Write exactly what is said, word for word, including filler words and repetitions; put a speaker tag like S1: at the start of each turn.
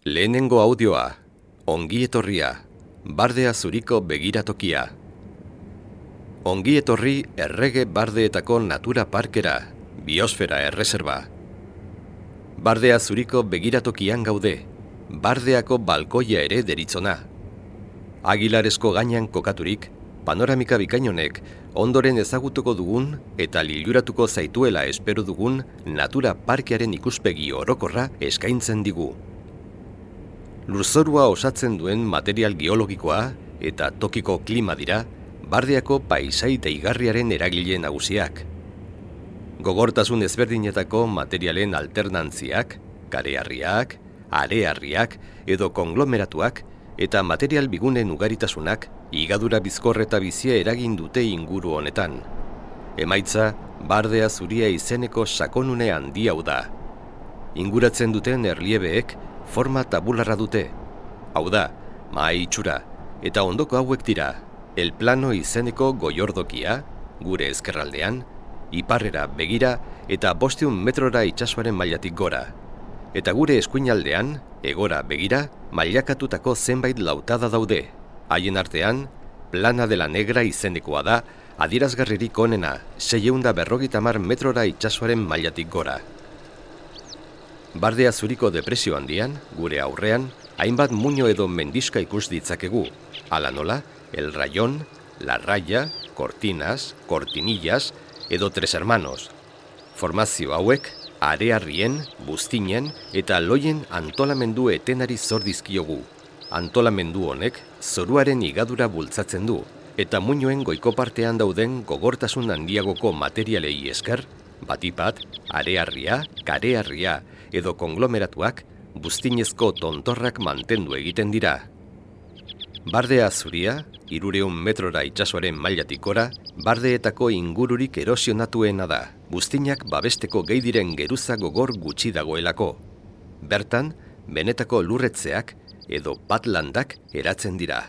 S1: Lehenengo audioa, ongi etorria, Bardea Zuriko begiratokia. Ongi etorri Errege Bardeetako Natura Parkera, Biosfera Erreserba. Bardea Zuriko begiratokian gaude, Bardeako balkoia ere deritzona. Agilaresko gainean kokaturik, panoramika bikainonek ondoren ezagutuko dugun eta liluratuko zaituela espero dugun Natura Parkearen ikuspegi orokorra eskaintzen digu. Lurzorua osatzen duen material geologikoa eta tokiko klima dira Bardeako paisai deigarriaren eragile nagusiak. Gogortasun ezberdinetako materialen alternantziak, kareharriak, areharriak edo konglomeratuak eta material bigunen ugaritasunak higadura bizkor eta bizia eragin dute inguru honetan. Emaitza, Bardea Zuria izeneko sakonune handi hau da. Inguratzen duten erliebeek forma tabularra dute. Hau da, mahai itxura, eta ondoko hauek dira, El Plano izeneko goiordokia, gure ezkerraldean, iparrera begira eta bosteun metrora itsasoaren mailatik gora. Eta gure eskuinaldean, egora begira, mailakatutako zenbait lautada daude. Haien artean, Plana de la Negra izenekoa da, adierazgarririk onena, seiehun eta berrogeita hamar metrora itsasoaren mailatik gora. Bardea Zuriko depresio handian, gure aurrean, hainbat muino edo mendiska ikus ditzakegu. Hala nola, El Rayón, La Raya, Cortinas, Cortinillas edo Tres Hermanos. Formazio hauek, areharrien, buztinen eta loien antolamendu etenari zor dizkiogu. Antolamendu honek zoruaren higadura bultzatzen du, eta muinoen goiko partean dauden gogortasun handiagoko materialei esker, batipat, areharria, kareharria edo konglomeratuak buztinezko tontorrak mantendu egiten dira. Bardea Zuria, hirureun metrora itsasoaren mailatik gora, bardeetako ingururik erosionatuena da, buztinak babesteko gehi diren geruza gogor gutxi dagoelako. Bertan, benetako lurretzeak edo patlandak eratzen dira.